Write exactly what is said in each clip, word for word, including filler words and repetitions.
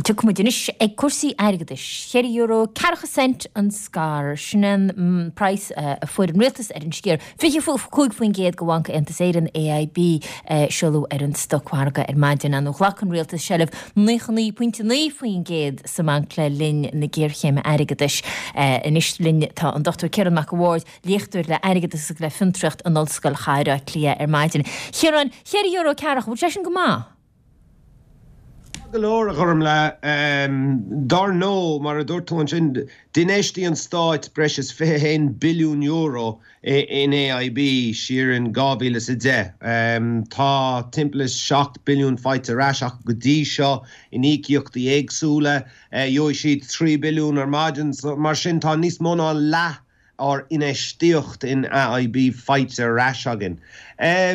Tiocfaidh muid anois ag cúrsaí airgeadais. Ceithre euro ceathracha cent an scair. Sin an praghas a fuair an rialtas ar an sciar fiche cúig faoin gcéad de Bhanc Aontas Éireann, AIB, seoladh ar an stocmhargadh ar maidin. Nó ghlac an rialtas seilbh naocha naoi pointe naoi faoin gcéad sa mbanc le linn na géarchéime airgeadais. Anois linn tá an Dochtúir Ciarán Mac a' Bhaird, léachtóir le airgeadas agus le fiontraíocht in Ollscoil Chathair Átha Cliath ar maidin. Ciarán, ceithre euro ceathracha, bhfuil sé sin go maith? Go leor a Ghormfhlaith. Dar ndóigh, mar a dúirt tú ansin, d'infheistigh an Stát breis is fiche haon billiún euro in AIB siar in dhá mhíle is a deich. Tá timpeall is seacht billiún faighte ar ais acu go dtí seo in íocaíochtaí éagsúla. Gheobhaidh siad trí billiún ar maidin, mar sin tá níos mó ná leath ár infheistíocht in AIB faighte ar ais againn.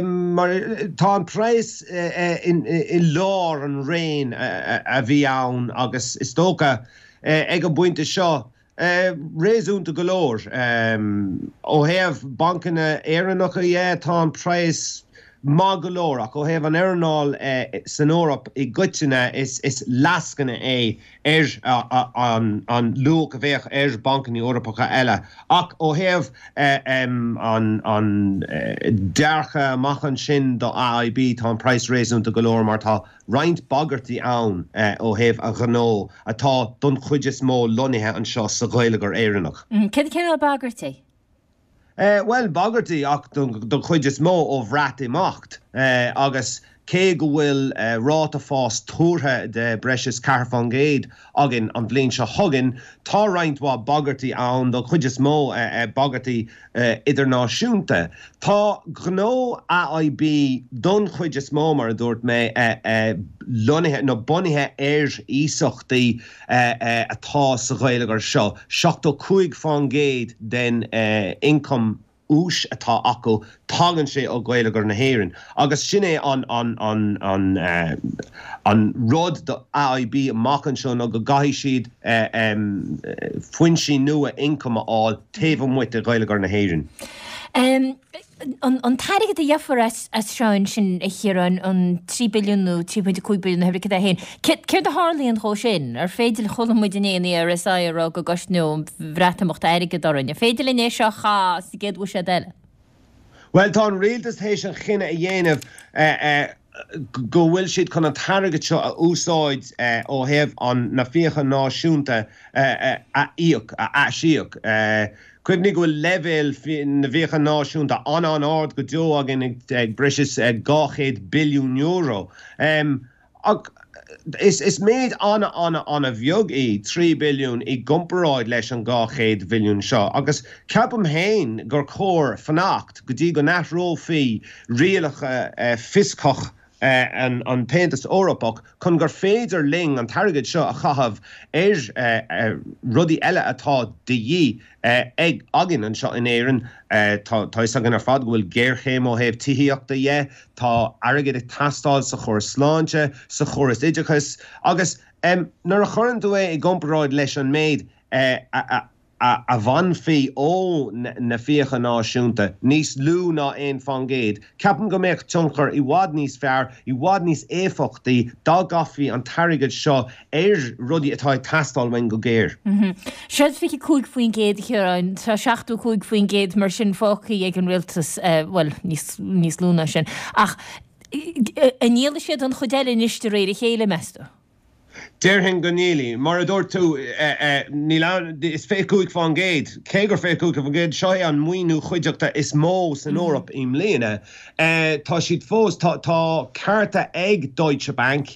Mar tá an praghas i lár an raon a bhí ann agus is dócha ag an bpointe seo réasúnta go leor. Ó thaobh bancanna Éireannacha dhe tá an praghas maith go leor ach ó thaobh an earnáil san Eoraip i gcoitinne is lascaine é ar an luach a bheadh ar bancanna Eorpacha eile. Ach ó thaobh an dearcadh amach ansin do AIB tá an praghas réasúnta go leor mar tá roinnt bagairtí ann ó thaobh a ghnó atá don chuid is mó lonnaithe anseo sa gheilleagar Éireannach. Cén cineál bagairtí? Bhuel, bagairtí ach don chuid is mó ó Bhreatimeacht agus cé go bhfuil ráta fás tuartha de breis is ceathair faoin gcéad againn an bhliain seo chugainn, tá roinnt mhaith bagairtí ann, don chuid is mó bagairtí idirnáisiúnta. Tá gnó AIB don chuid is mó, mar a dúirt mé, lonnaithe nó bunaithe ar iasachtaí atá sa gheilleagar seo. seachtó cúig faoin gcéad den ioncam úis atá acu, tagann sé ó gheilleagar na hÉireann. Agus sin é an an an an an rud do AIB amach anseo ná go gcaithfidh siad foinsí nua ioncaim a fháil taobh amuigh de gheilleagar na hÉireann. An t-airgead a gheofar as seo ansin, a Chiaráin, an trí billiún nó trí pointe cúig billiún nó pé céard é féin, céard a tharlaíonn dhó sin? Ar féidir, chuala muid inné an ERSI ag rá go gcosnódh an Bhreatimeacht airgead orainn. Ar féidir linn é seo a chaitheamh sa gcéad bhuiséad eile? Bhuel, tá an rialtas théis an chinneadh a dhéanamh go bhfuil siad chun an t-airgead seo a úsáid ó thaobh an na fiacha náisiúnta a íoc, a aisíoc. Cuimhnigh go bhfuil leibhéal na bhfiacha náisiúnta an-an-ard go deo againn ag breis is dhá chéad billiún euro. Ach is méid an-an-an-bheag í trí billiún i gcomparáid leis an dhá chéad bhilliún seo agus ceapaim féin gur chóir fanacht go dtí go n-athrófaí rialacha fioscach an tAontas Eorpach chun gur féidir linn an t-airgead seo a chaitheamh ar rudaí eile atá de dhíth ag againn anseo in Éirinn. Tá fhios againn ar fad go bhfuil géarchéim ó thaobh tithíochta dhe, tá airgead ag teastáil sa chóras sláinte, sa chóras oideachais agus nuair a chuireann tú é i gcomparáid leis an méid a a bhainfí ó na fiacha náisiúnta, níos lú ná aon faoin gcéad. Ceapaim go mbeadh tionchar i bhfad níos fearr, i bhfad níos éifeachtaí dá gcaithfí an t-airgead seo ar rudaí atá ag teastáil uainn go géar. Séard fiche cúig faoin gcéad, a Chiaráin, tá seachtó cúig faoin gcéad mar sin fágtha ag an rialtas, bhuel, níos lú ná sin. Ach an ndíolfaidh siad an chuid eile anois de réir a chéile, meas tú? Déarfainn go ndíolfaidh. Mar a dúirt tú, níl ann, is fiche cúig faoin gcéad, cé gur fiche cúig faoin gcéad, seo é an maoiniú cuideachta is mó san Eoraip i mbliana. Tá siad fós, tá cearta ag Deutsche Bank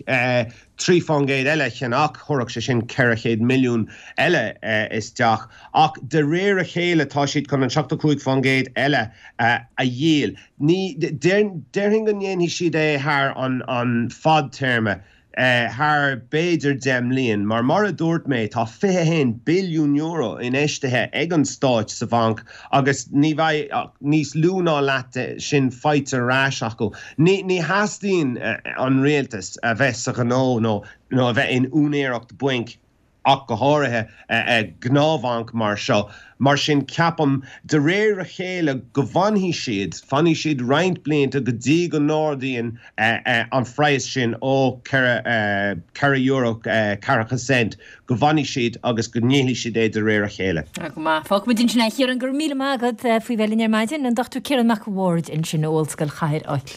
trí faoin gcéad eile a cheannach, thabharfadh sé sin ceithre chéad milliún eile isteach, ach de réir a chéile tá siad chun an seachtó cúig faoin gcéad eile a dhíol. Ní, déarfainn go ndéanfaidh siad é thar an fadtéarma. thar b'fhéidir deich mbliain, mar mar a dúirt mé, tá fiche a haon billiún euro infheistithe ag an Stáit sa bhanc agus ní bheidh ach níos lú ná leath de sin faighte ar ais acu. Ní ní theastaíonn an rialtas a bheith sa ghnó nó nó a bheith in úinéireacht bainc. ach go háirithe gnáthbhanc mar seo. Mar sin ceapaim de réir a chéile go bhfanfaidh siad, fanfaidh siad roinnt blianta go dtí go n-ardaíonn an phraghas sin ó ceithre euro ceathracha cent go bhfanfaidh siad agus go ndíolfaidh siad é de réir a chéile. Go maith. Fágfaimid ansin é a Chiaráin, go raibh míle maith agat faoi bheith linn ar maidin, an Dochtúir Ciarán Mac a' Bhaird ansin ó Ollscoil Chathair Átha Cliath.